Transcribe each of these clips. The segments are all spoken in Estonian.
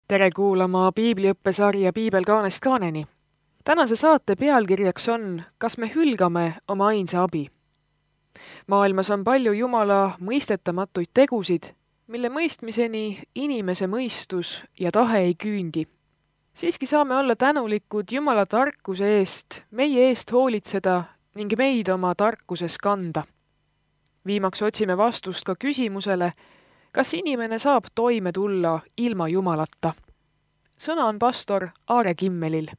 Tere kuulama piibliõppesarja Piibel kaanest kaaneni. Tänase saate pealkirjaks on Kas me hülgame oma ainsa abi? Maailmas on palju Jumala mõistetamatuid tegusid, mille mõistmiseni inimese mõistus ja tahe ei küündi. Siiski saame olla tänulikud Jumala tarkuse eest, meie eest hoolitseda ning meid oma tarkuses kanda. Viimaks otsime vastust ka küsimusele, kas inimene saab toime tulla ilma Jumalata? Sõna on pastor Aare Kimmelil.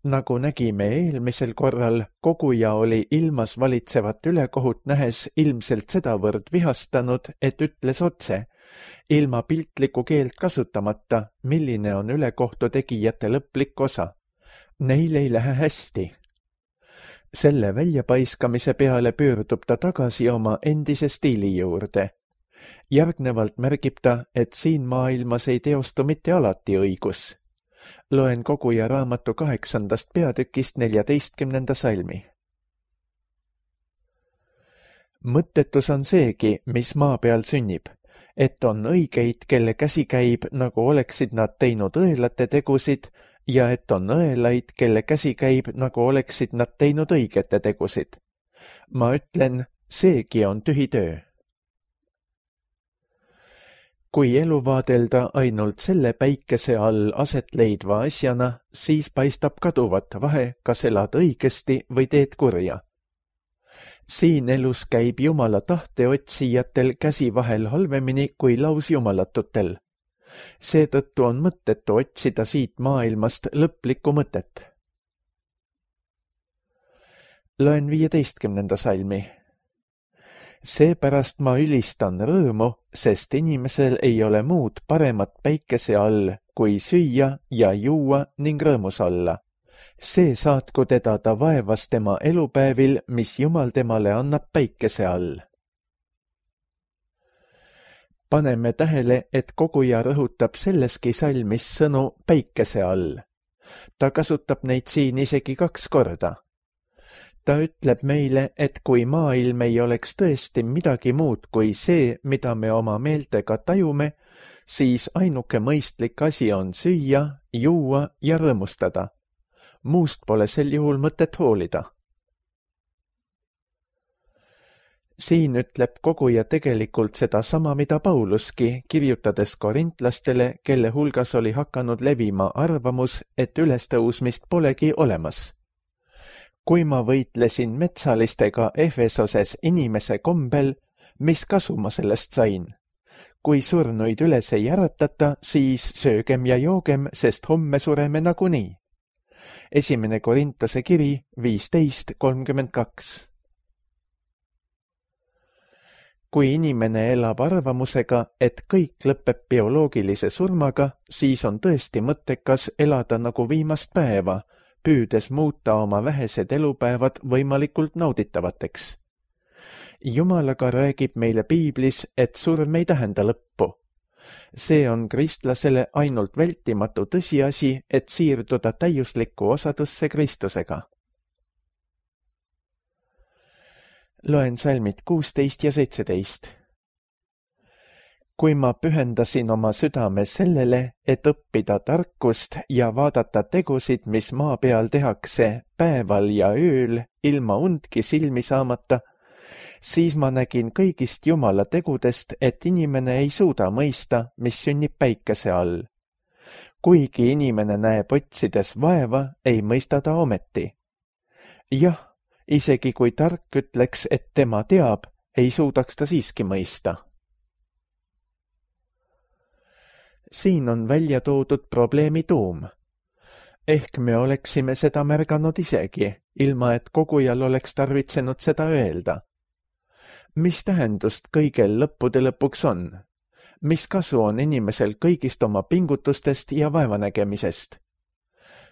Nagu nägime eelmisel korral, koguja oli ilmas valitsevat ülekohut nähes ilmselt sedavõrd vihastanud, et ütles otse, ilma piltlikku keelt kasutamata, milline on ülekohtu tegijate lõplik osa. Neil ei lähe hästi. Selle väljapaiskamise peale pöördub ta tagasi oma endise stiili juurde. Järgnevalt märgib ta, et siin maailmas ei teostu mitte alati õigus. Loen koguja raamatu 8. peatükist 14. salmi. Mõttetus on seegi, mis maa peal sünnib, et on õigeid, kelle käsi käib, nagu oleksid nad teinud õelate tegusid, ja et on õelaid, kelle käsi käib, nagu oleksid nad teinud õigete tegusid. Ma ütlen, seegi on tühi töö. Kui elu vaadelda ainult selle päikese all aset leidva asjana, siis paistab kaduvat vahe, kas elad õigesti või teed kurja. Siin elus käib Jumala tahte otsijatel käsi vahel halvemini kui lausjumalatutel. Seetõttu on mõttetu otsida siit maailmast lõplikku mõtet. Loen 15. salmi. Seepärast ma ülistan rõõmu, sest inimesel ei ole muud paremat päikese all, kui süüa ja juua ning rõõmus olla. See saatku teda ta vaevas tema elupäevil, mis Jumal temale annab päikese all. Paneme tähele, et koguja rõhutab selleski salmis sõnu päikese all. Ta kasutab neid siin isegi 2 korda. Ta ütleb meile, et kui maailm ei oleks tõesti midagi muud kui see, mida me oma meeltega tajume, siis ainuke mõistlik asi on süüa, juua ja rõõmustada. Muust pole sel juhul mõtet hoolida. Siin ütleb koguja tegelikult seda sama, mida Pauluski, kirjutades korintlastele, kelle hulgas oli hakanud levima arvamus, et ülestõusmist polegi olemas. Kui ma võitlesin metsalistega Efesoses inimese kombel, mis kasu ma sellest sain? Kui surnuid üles ei äratata, siis söögem ja joogem, sest homme sureme nagunii. 1. Korintuse kiri 15:32. Kui inimene elab arvamusega, et kõik lõpeb bioloogilise surmaga, siis on tõesti mõttekas elada nagu viimast päeva, püüdes muuta oma vähesed elupäevad võimalikult nauditavateks. Jumalaga räägib meile piiblis, et surm ei tähenda lõppu. See on kristlasele ainult vältimatu tõsiasi, et siirduda täiuslikku osadusse Kristusega. Loen salmid 16 ja 17. Kui ma pühendasin oma südame sellele, et õppida tarkust ja vaadata tegusid, mis maa peal tehakse päeval ja ööl, ilma undki silmi saamata, siis ma nägin kõigist Jumala tegudest, et inimene ei suuda mõista, mis sünnib päikese all. Kuigi inimene näeb otsides vaeva, ei mõista ta ometi. Jah, isegi kui tark ütleks, et tema teab, ei suudaks ta siiski mõista. Siin on välja toodud probleemi tuum. Ehk me oleksime seda märganud isegi, ilma et kogujal oleks tarvitsenud seda öelda. Mis tähendust kõigel lõppude lõpuks on? Mis kasu on inimesel kõigist oma pingutustest ja vaevanägemisest?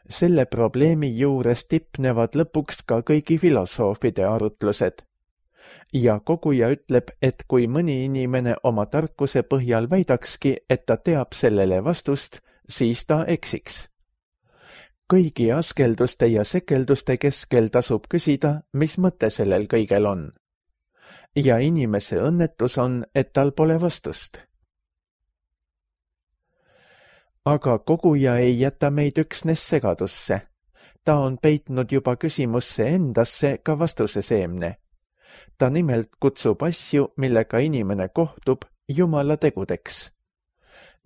Selle probleemi juures tipnevad lõpuks ka kõigi filosoofide arutlused. Ja koguja ütleb, et kui mõni inimene oma tarkuse põhjal väidakski, et ta teab sellele vastust, siis ta eksiks. Kõigi askelduste ja sekelduste keskel tasub küsida, mis mõte sellel kõigel on. ja inimese õnnetus on, et tal pole vastust. Aga koguja ei jäta meid üksnes segadusse. Ta on peitnud juba küsimusse endasse ka vastuse seemne. Ta nimelt kutsub asju, millega inimene kohtub, Jumala tegudeks.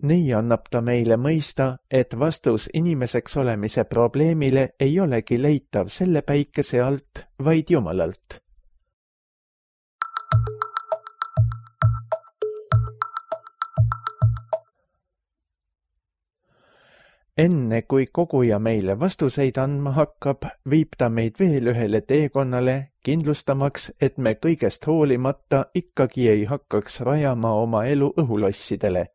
Nii annab ta meile mõista, et vastus inimeseks olemise probleemile ei olegi leitav selle päikese alt, vaid Jumalalt. Enne kui koguja meile vastuseid andma hakkab, viib ta meid veel ühele teekonnale, kindlustamaks, et me kõigest hoolimata ikkagi ei hakkaks rajama oma elu õhulossidele.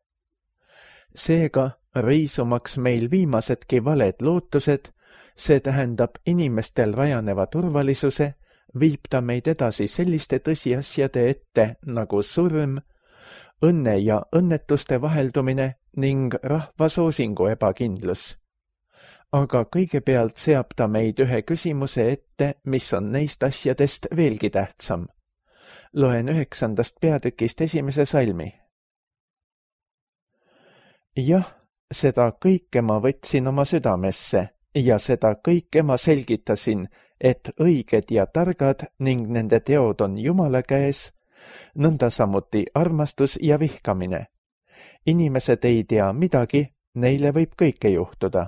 Seega, riisumaks meil viimasedki valed lootused, see tähendab inimestel rajaneva turvalisuse, viib ta meid edasi selliste tõsiasjade ette nagu surm, õnne ja õnnetuste vaheldumine ning rahva soosingu ebakindlus. Aga kõigepealt seab ta meid ühe küsimuse ette, mis on neist asjadest veelgi tähtsam. Loen 9. peatükist 1. salmi. Jah, seda kõike ma võtsin oma südamesse ja seda kõike ma selgitasin, et õiged ja targad ning nende teod on Jumala käes, nõnda samuti armastus ja vihkamine. Inimesed ei tea midagi, neile võib kõike juhtuda.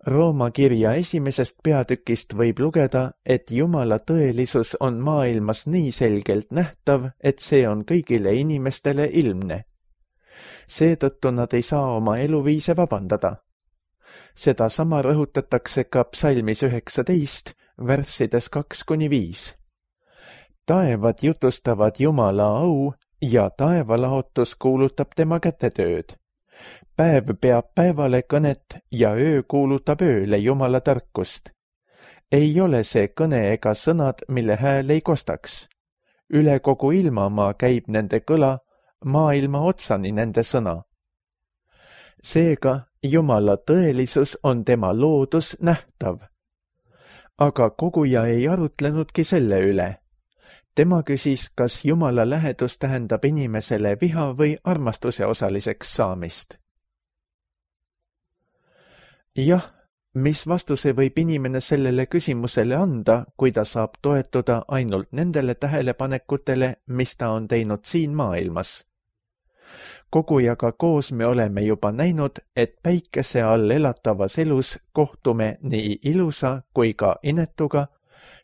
Rooma kirja 1. peatükist võib lugeda, et Jumala tõelisus on maailmas nii selgelt nähtav, et see on kõigile inimestele ilmne. Seetõttu nad ei saa oma eluviise vabandada. Seda sama rõhutatakse ka psalmis 19, värssides 2-5. Taevad jutustavad Jumala au ja taevalaotus kuulutab tema kätetööd. Päev peab päevale kõnet ja öö kuulutab ööle Jumala tarkust. Ei ole see kõne ega sõnad, mille hääl ei kostaks. Üle kogu ilmamaa käib nende kõla, maailma otsani nende sõna. Seega Jumala tõelisus on tema loodus nähtav. Aga koguja ei arutlenudki selle üle. Tema küsis, kas Jumala lähedus tähendab inimesele viha või armastuse osaliseks saamist. Jah, mis vastuse võib inimene sellele küsimusele anda, kui ta saab toetuda ainult nendele tähelepanekutele, mis ta on teinud siin maailmas? Kogujaga koos me oleme juba näinud, et päikese all elatavas elus kohtume nii ilusa kui ka inetuga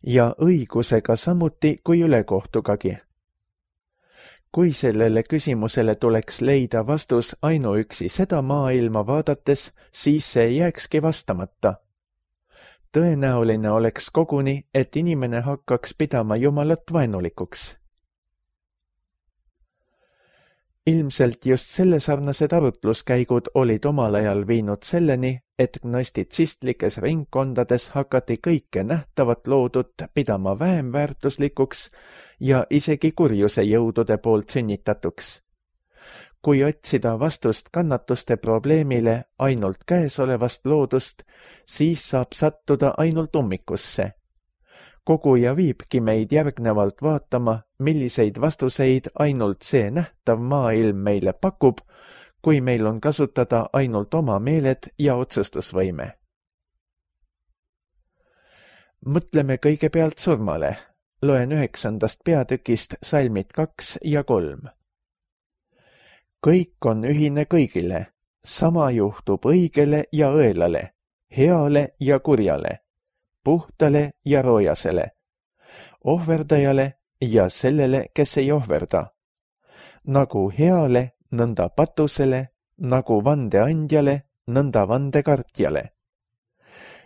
ja õigusega samuti kui ülekohtugagi. Kui sellele küsimusele tuleks leida vastus ainuüksi seda maailma vaadates, siis see jääkski vastamata. Tõenäoline oleks koguni, et inimene hakkaks pidama Jumalat vaenulikuks. Ilmselt just sellesarnased arutluskäigud olid omal ajal viinud selleni, et gnostitsistlikes ringkondades hakati kõike nähtavat loodut pidama vähem väärtuslikuks ja isegi kurjuse jõudude poolt sünnitatuks. Kui otsida vastust kannatuste probleemile ainult käesolevast loodust, siis saab sattuda ainult ummikusse. Koguja viibki meid järgnevalt vaatama, milliseid vastuseid ainult see nähtav maailm meile pakub, kui meil on kasutada ainult oma meeled ja otsustusvõime. Mõtleme kõigepealt surmale. Loen 9. peatükist salmid 2 ja 3. Kõik on ühine kõigile, sama juhtub õigele ja õelale, heale ja kurjale, puhtale ja roojasele, ohverdajale ja sellele, kes ei ohverda. Nagu heale, nõnda patusele, nagu vandeandjale, nõnda vandekartjale.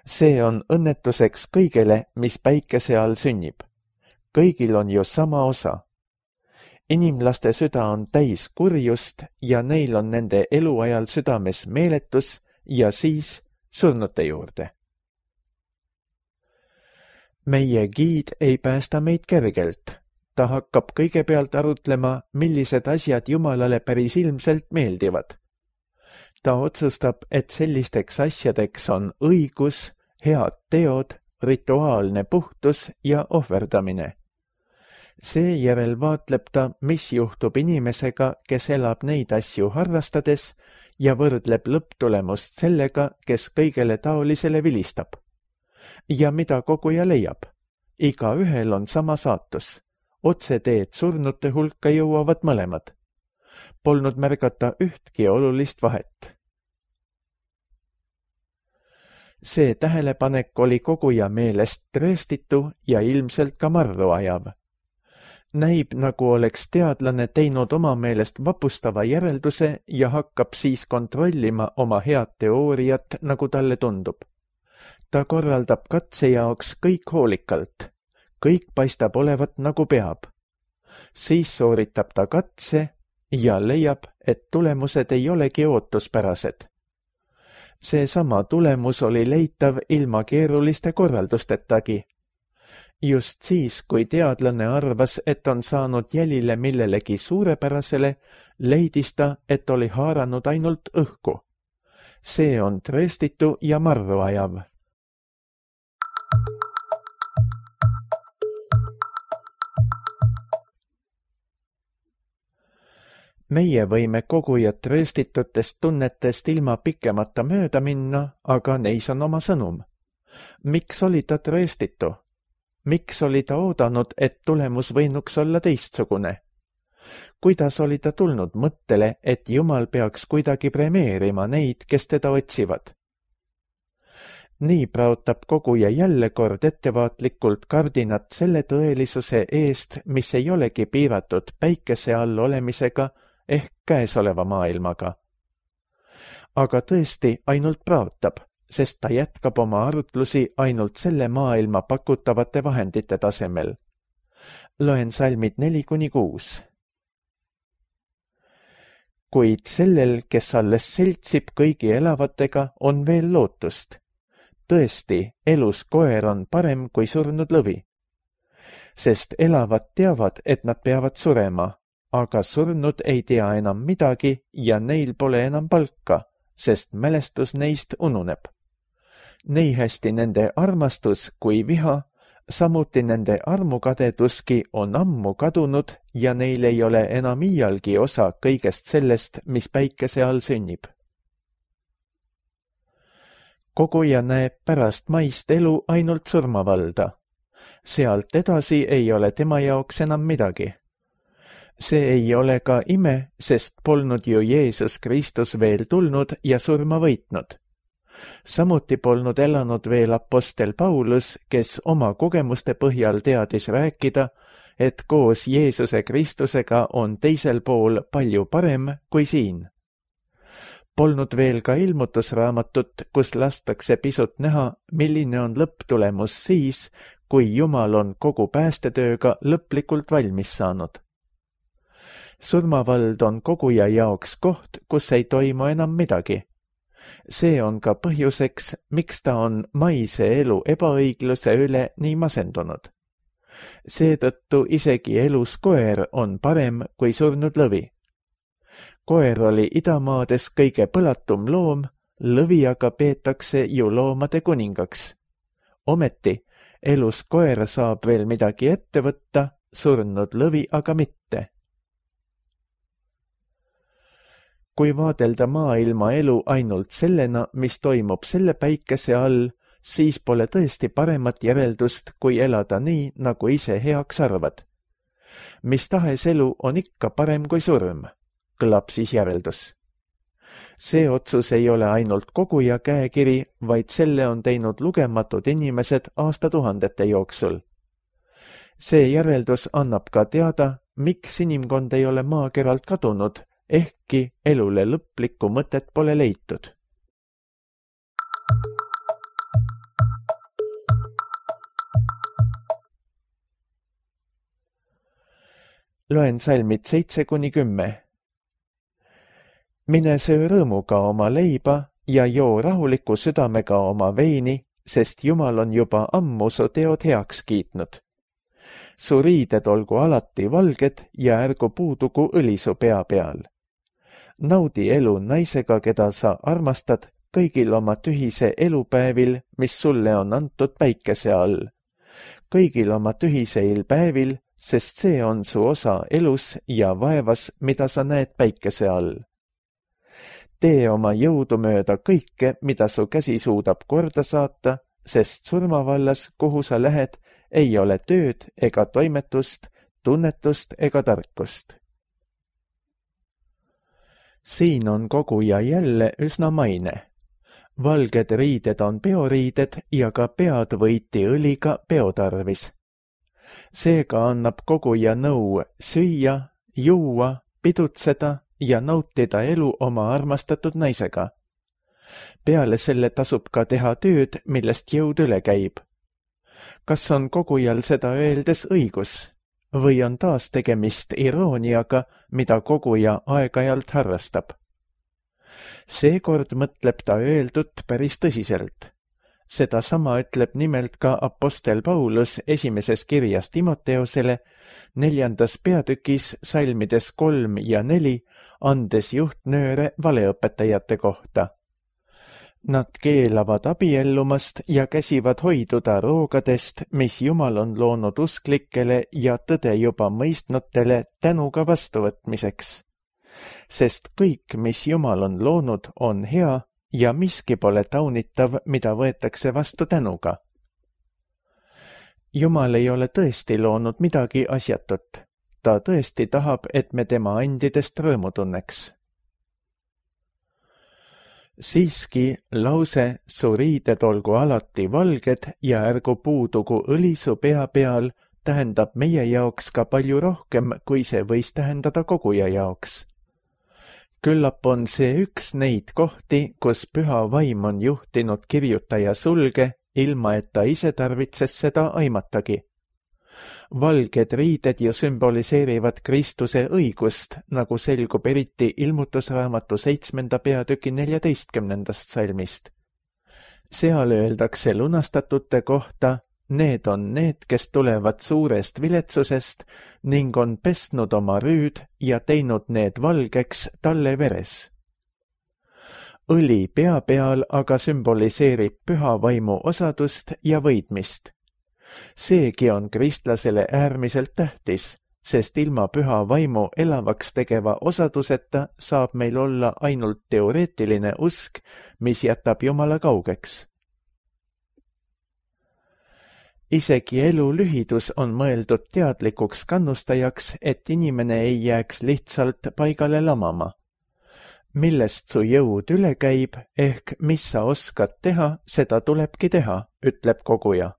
See on õnnetuseks kõigele, mis päikese all sünnib. Kõigil on ju sama osa. Inimlaste süda on täis kurjust ja neil on nende eluajal südames meeletus ja siis surnute juurde. Meie giid ei päästa meid kergelt. Ta hakkab kõigepealt arutlema, millised asjad Jumalale päris ilmselt meeldivad. Ta otsustab, et sellisteks asjadeks on õigus, head teod, rituaalne puhtus ja ohverdamine. Seejärel vaatleb ta, mis juhtub inimesega, kes elab neid asju harrastades ja võrdleb lõpptulemust sellega, kes kõigele taolisele vilistab. Ja mida koguja leiab? Igaühel on sama saatus. Otseteed surnute hulka jõuavad mõlemad. Polnud märgata ühtki olulist vahet. See tähelepanek oli koguja meelest trööstitu ja ilmselt ka marru ajav. Näib, nagu oleks teadlane teinud oma meelest vapustava järelduse ja hakkab siis kontrollima oma head teooriat, nagu talle tundub. Ta korraldab katse jaoks kõik hoolikalt. Kõik paistab olevat nagu peab. Siis sooritab ta katse ja leiab, et tulemused ei olegi ootuspärased. Seesama tulemus oli leitav ilma keeruliste korraldustetagi. Just siis, kui teadlane arvas, et on saanud jälile millelegi suurepärasele, leidis ta, et oli haaranud ainult õhku. See on trööstitu ja marru ajav. Meie võime kogujat trööstitutest tunnetest ilma pikemata mööda minna, aga neis on oma sõnum. Miks oli ta trööstitu? Miks oli ta oodanud, et tulemus võinuks olla teistsugune? Kuidas oli ta tulnud mõttele, et Jumal peaks kuidagi premeerima neid, kes teda otsivad? Nii praotab koguja jälle kord ettevaatlikult kardinat selle tõelisuse eest, mis ei olegi piiratud päikese all olemisega ehk käesoleva maailmaga. Aga tõesti ainult praotab, sest ta jätkab oma arutlusi ainult selle maailma pakutavate vahendite tasemel. Loen salmid 4-6. Kuid sellel, kes alles seltsib kõigi elavatega, on veel lootust. Tõesti, elus koer on parem kui surnud lõvi. Sest elavad teavad, et nad peavad surema, aga surnud ei tea enam midagi ja neil pole enam palka, sest mälestus neist ununeb. Nii hästi nende armastus kui viha, samuti nende armukadeduski on ammu kadunud ja neil ei ole enam iialgi osa kõigest sellest, mis päikese all sünnib. Koguja näeb pärast maist elu ainult surmavalda. Sealt edasi ei ole tema jaoks enam midagi. See ei ole ka ime, sest polnud ju Jeesus Kristus veel tulnud ja surma võitnud. Samuti polnud elanud veel apostel Paulus, kes oma kogemuste põhjal teadis rääkida, et koos Jeesuse Kristusega on teisel pool palju parem kui siin. Polnud veel ka ilmutusraamatut, kus lastakse pisut näha, milline on lõpptulemus siis, kui Jumal on kogu päästetööga lõplikult valmis saanud. Surmavald on koguja jaoks koht, kus ei toimu enam midagi. See on ka põhjuseks, miks ta on maise elu ebaõigluse üle nii masendunud. Seetõttu isegi elus koer on parem kui surnud lõvi. Koer oli idamaades kõige põlatum loom, lõvi aga peetakse ju loomade kuningaks. Ometi, elus koer saab veel midagi ette võtta, surnud lõvi aga mitte. Kui vaadelda maailma elu ainult sellena, mis toimub selle päikese all, siis pole tõesti paremat järeldust, kui elada nii, nagu ise heaks arvad. Mis tahes elu on ikka parem kui surm, kõlab siis järeldus. See otsus ei ole ainult koguja käekiri, vaid selle on teinud lugematud inimesed aastatuhandete jooksul. See järeldus annab ka teada, miks inimkond ei ole maakeralt kadunud, ehkki elule lõplikku mõtet pole leitud. Loen salmid 7-10. Mine söö rõõmuga oma leiba ja joo rahuliku südamega oma veini, sest Jumal on juba ammu su teod heaks kiitnud. Su riided olgu alati valged ja ärgu puudugu õli su pea peal. Naudi elu naisega, keda sa armastad, kõigil oma tühise elupäevil, mis sulle on antud päikese all. Kõigil oma tühiseil päevil, sest see on su osa elus ja vaevas, mida sa näed päikese all. Tee oma jõudu mööda kõike, mida su käsi suudab korda saata, sest surmavallas, kuhu sa lähed, ei ole tööd ega toimetust, tunnetust ega tarkust. Siin on koguja jälle üsna maine. Valged riided on peoriided ja ka pead võiti õliga peotarvis. Seega annab koguja nõu süüa, juua, pidutseda ja nautida elu oma armastatud naisega. Peale selle tasub ka teha tööd, millest jõud üle käib. Kas on kogujal seda öeldes õigus? Või on taas tegemist irooniaga, mida koguja aeg-ajalt harrastab? Seekord mõtleb ta öeldut päris tõsiselt. Seda sama ütleb nimelt ka apostel Paulus esimeses kirjas Timoteosele, 4. peatükis salmides 3 ja 4, andes juhtnööre valeõpetajate kohta. Nad keelavad abiellumast ja käsivad hoiduda roogadest, mis Jumal on loonud usklikele ja tõde juba mõistnutele tänuga vastuvõtmiseks. Sest kõik, mis Jumal on loonud, on hea ja miski pole taunitav, mida võetakse vastu tänuga. Jumal ei ole tõesti loonud midagi asjatut. Ta tõesti tahab, et me tema andidest rõõmu tunneks. Siiski lause su riided olgu alati valged ja ärgu puudugu õli su pea peal tähendab meie jaoks ka palju rohkem, kui see võis tähendada koguja jaoks. Küllap on see üks neid kohti, kus püha vaim on juhtinud kirjutaja sulge, ilma et ta ise tarvitses seda aimatagi. Valged riided ju sümboliseerivad Kristuse õigust, nagu selgub eriti ilmutusraamatu 7. peatüki 14. salmist. Seal öeldakse lunastatute kohta, need on need, kes tulevad suurest viletsusest ning on pesnud oma rüüd ja teinud need valgeks talle veres. Õli pea peal aga sümboliseerib püha vaimu osadust ja võidmist. Seegi on kristlasele äärmiselt tähtis, sest ilma püha vaimu elavaks tegeva osaduseta saab meil olla ainult teoreetiline usk, mis jätab Jumala kaugeks. Isegi elu lühidus on mõeldud teadlikuks kannustajaks, et inimene ei jääks lihtsalt paigale lamama. Millest su jõud üle käib, ehk mis sa oskad teha, seda tulebki teha, ütleb koguja.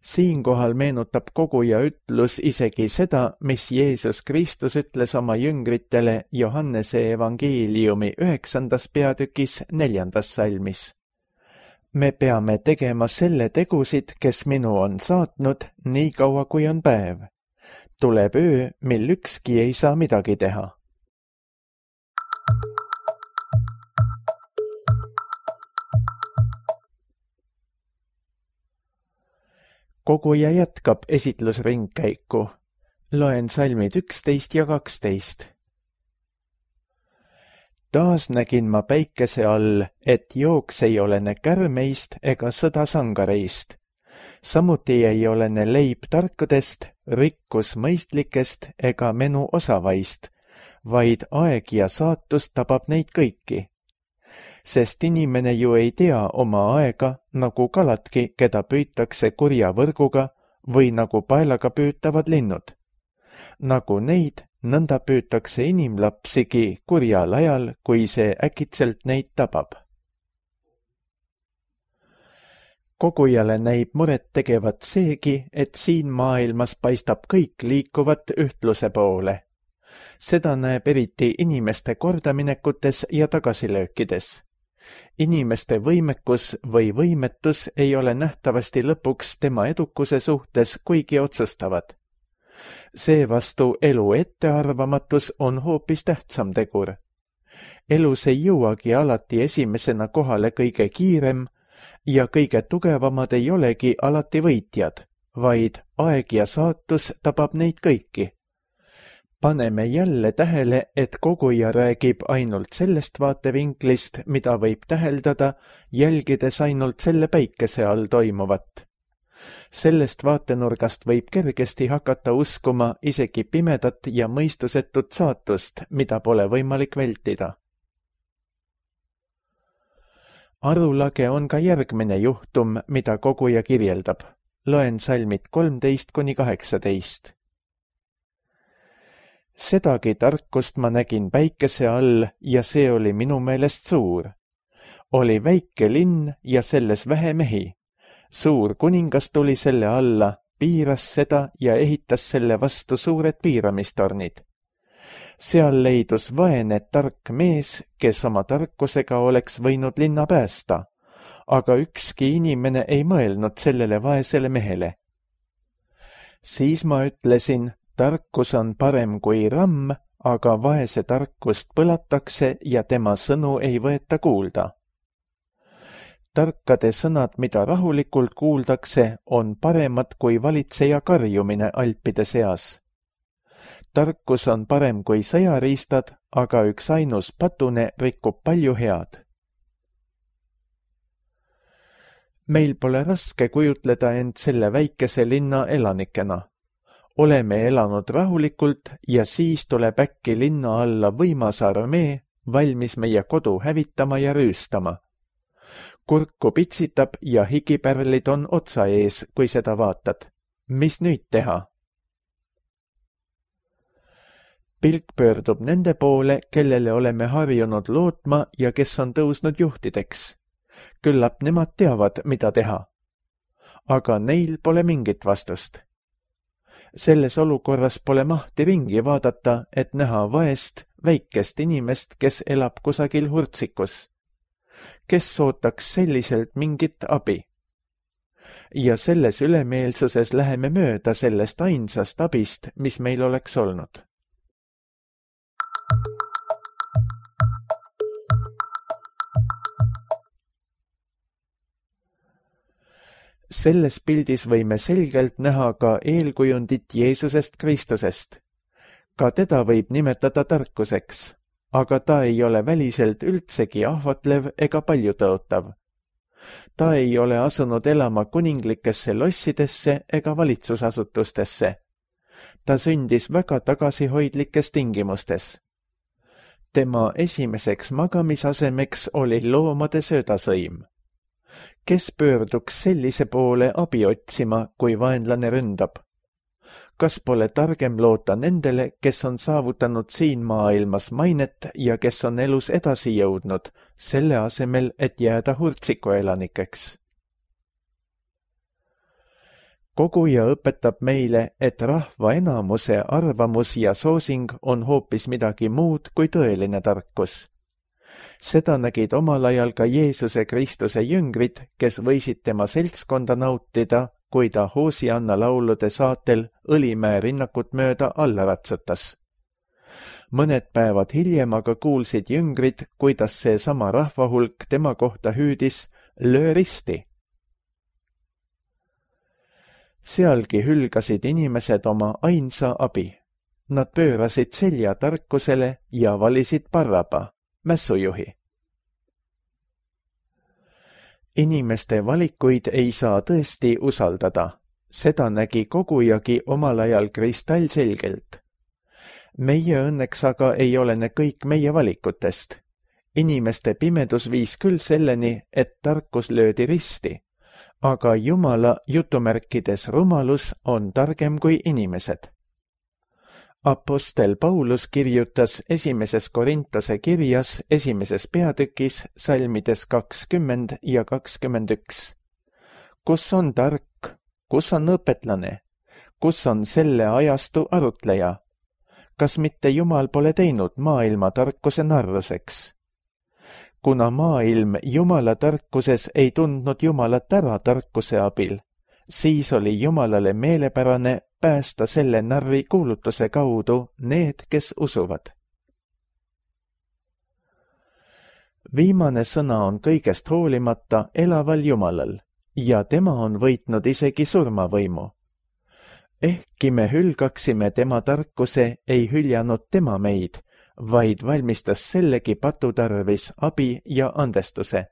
Siinkohal meenutab koguja ütlus isegi seda, mis Jeesus Kristus ütles oma jüngritele Johannese evangeeliumi 9. peatükis 4. salmis. Me peame tegema selle tegusid, kes minu on saatnud, nii kaua kui on päev. Tuleb öö, mil ükski ei saa midagi teha. Koguja jätkab esitlusringkäiku. Loen salmid 11 ja 12. Taas nägin ma päikese all, et jooks ei olene kärmeist ega sõda sangareist. Samuti ei olene leib tarkadest, rikkus mõistlikest ega menu osavaist, vaid aeg ja saatus tabab neid kõiki. Sest inimene ju ei tea oma aega, nagu kaladki, keda püütakse kurja võrguga või nagu paelaga püütavad linnud. Nagu neid, nõnda püütakse inimlapsigi kurjal ajal, kui see äkitselt neid tabab. Kogujale näib muret tegevat seegi, et siin maailmas paistab kõik liikuvat ühtluse poole. Seda näeb eriti inimeste kordaminekutes ja tagasilöökides. Inimeste võimekus või võimetus ei ole nähtavasti lõpuks tema edukuse suhtes kuigi otsustavad. Seevastu elu ettearvamatus on hoopis tähtsam tegur. Elus ei jõuagi alati esimesena kohale kõige kiirem ja kõige tugevamad ei olegi alati võitjad, vaid aeg ja saatus tabab neid kõiki. Paneme jälle tähele, et koguja räägib ainult sellest vaatevinklist, mida võib täheldada, jälgides ainult selle päikese all toimuvat. Sellest vaatenurgast võib kergesti hakata uskuma isegi pimedat ja mõistusetut saatust, mida pole võimalik vältida. Arulage on ka järgmine juhtum, mida koguja kirjeldab. Loen salmid 13–18. Sedagi tarkust ma nägin päikese all ja see oli minu meelest suur. Oli väike linn ja selles vähe mehi. Suur kuningas tuli selle alla, piiras seda ja ehitas selle vastu suured piiramistornid. Seal leidus vaene tark mees, kes oma tarkusega oleks võinud linna päästa, aga ükski inimene ei mõelnud sellele vaesele mehele. Siis ma ütlesin, tarkus on parem kui ramm, aga vaese tarkust põlatakse ja tema sõnu ei võeta kuulda. Tarkade sõnad, mida rahulikult kuuldakse, on paremad kui valitseja karjumine alpide seas. Tarkus on parem kui sõjariistad, aga üks ainus patune rikub palju head. Meil pole raske kujutleda end selle väikese linna elanikena. Oleme elanud rahulikult ja siis tuleb äkki linna alla võimas armee, valmis meie kodu hävitama ja rüüstama. Kurku pitsitab ja higipärlid on otsa ees, kui seda vaatad. Mis nüüd teha? Pilk pöördub nende poole, kellele oleme harjunud lootma ja kes on tõusnud juhtideks. Küllap nemad teavad, mida teha. Aga neil pole mingit vastust. Selles olukorras pole mahti ringi vaadata, et näha vaest, väikest inimest, kes elab kusagil hurtsikus. Kes ootaks selliselt mingit abi? Ja selles ülemeelsuses läheme mööda sellest ainsast abist, mis meil oleks olnud. Selles pildis võime selgelt näha ka eelkujundit Jeesusest Kristusest. Ka teda võib nimetada tarkuseks, aga ta ei ole väliselt üldsegi ahvatlev ega paljutõotav. Ta ei ole asunud elama kuninglikesse lossidesse ega valitsusasutustesse. Ta sündis väga tagasihoidlikes tingimustes. Tema esimeseks magamisasemeks oli loomade söödasõim. Kes pöörduks sellise poole abi otsima, kui vaenlane ründab? Kas pole targem loota nendele, kes on saavutanud siin maailmas mainet ja kes on elus edasi jõudnud, selle asemel, et jääda hurtsiku elanikeks? Koguja õpetab meile, et rahva enamuse arvamus ja soosing on hoopis midagi muud kui tõeline tarkus. Seda nägid omal ajal ka Jeesuse Kristuse jüngrid, kes võisid tema seltskonda nautida, kui ta Hoosianna laulude saatel Õlimäe rinnakut mööda alla ratsutas. Mõned päevad hiljem aga kuulsid jüngrid, kuidas see sama rahvahulk tema kohta hüüdis löö risti. Sealgi hülgasid inimesed oma ainsa abi. Nad pöörasid selja tarkusele ja valisid Barraba, mässujuhi. Inimeste valikuid ei saa tõesti usaldada. Seda nägi kogujagi omal ajal kristallselgelt. Meie õnneks aga ei olene kõik meie valikutest. Inimeste pimedus viis küll selleni, et tarkus löödi risti, aga Jumala jutumärkides rumalus on targem kui inimesed. Apostel Paulus kirjutas 1. Korintuse kirjas 1. peatükis salmides 20 ja 21. Kus on tark, kus on õpetlane, kus on selle ajastu arutleja? Kas mitte Jumal pole teinud maailma tarkuse narruseks? Kuna maailm Jumala tarkuses ei tundnud Jumalat ära tarkuse abil, siis oli Jumalale meelepärane päästa selle narri kuulutuse kaudu need, kes usuvad. Viimane sõna on kõigest hoolimata elaval Jumalal ja tema on võitnud isegi surmavõimu. Ehkki me hülgaksime tema tarkuse, ei hüljanud tema meid, vaid valmistas sellegi patu tarvis abi ja andestuse.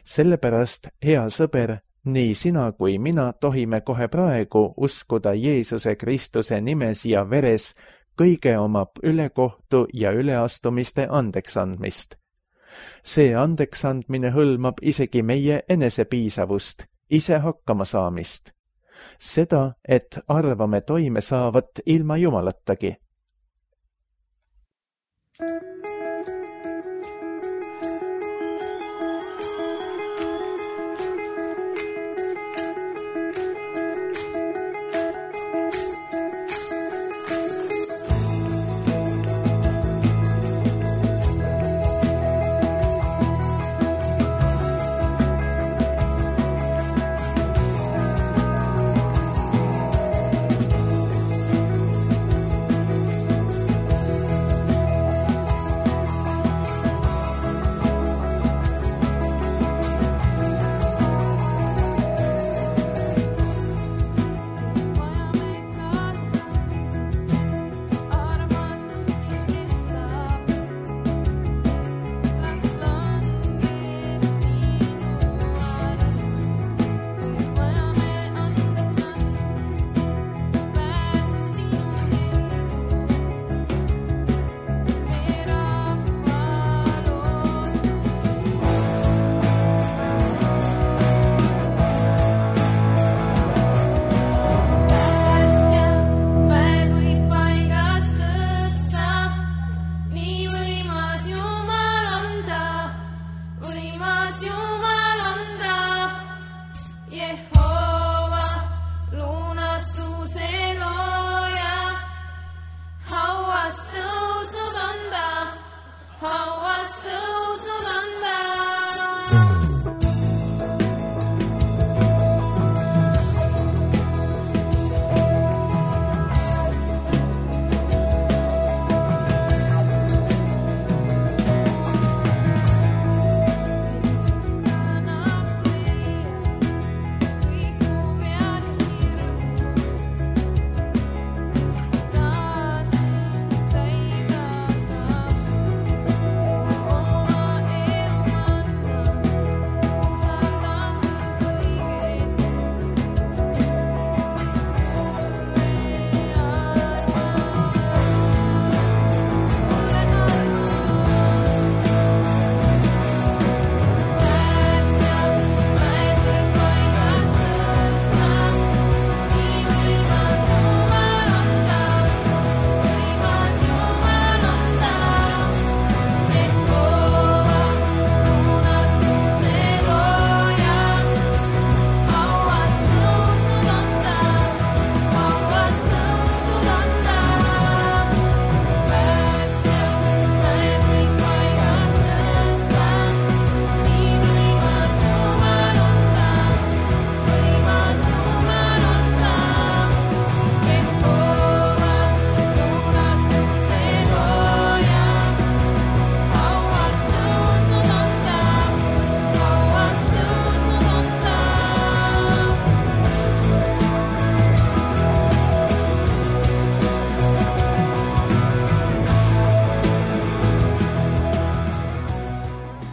Sellepärast, hea sõber, nii sina kui mina tohime kohe praegu uskuda Jeesuse Kristuse nimes ja veres kõige oma ülekohtu ja üleastumiste andeksandmist. See andeksandmine hõlmab isegi meie enesepiisavust, ise hakkama saamist. Seda, et arvame toime saavat ilma Jumalatagi.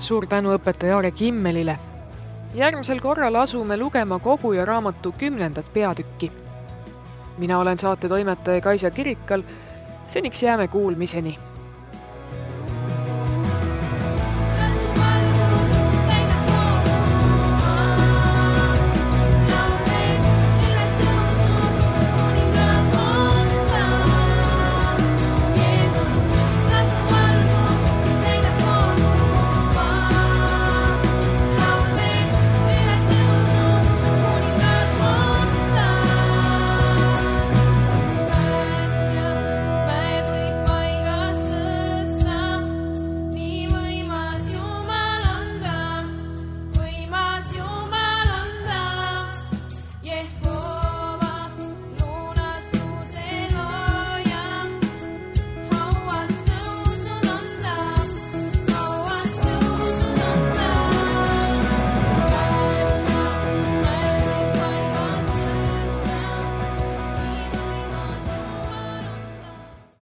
Suur tänu õpetaja Aare Kimmelile. Järgmisel korral asume lugema Koguja raamatu 10. peatükki. Mina olen saate toimetaja Kaisa Kirikal. Seniks jääme kuulmiseni.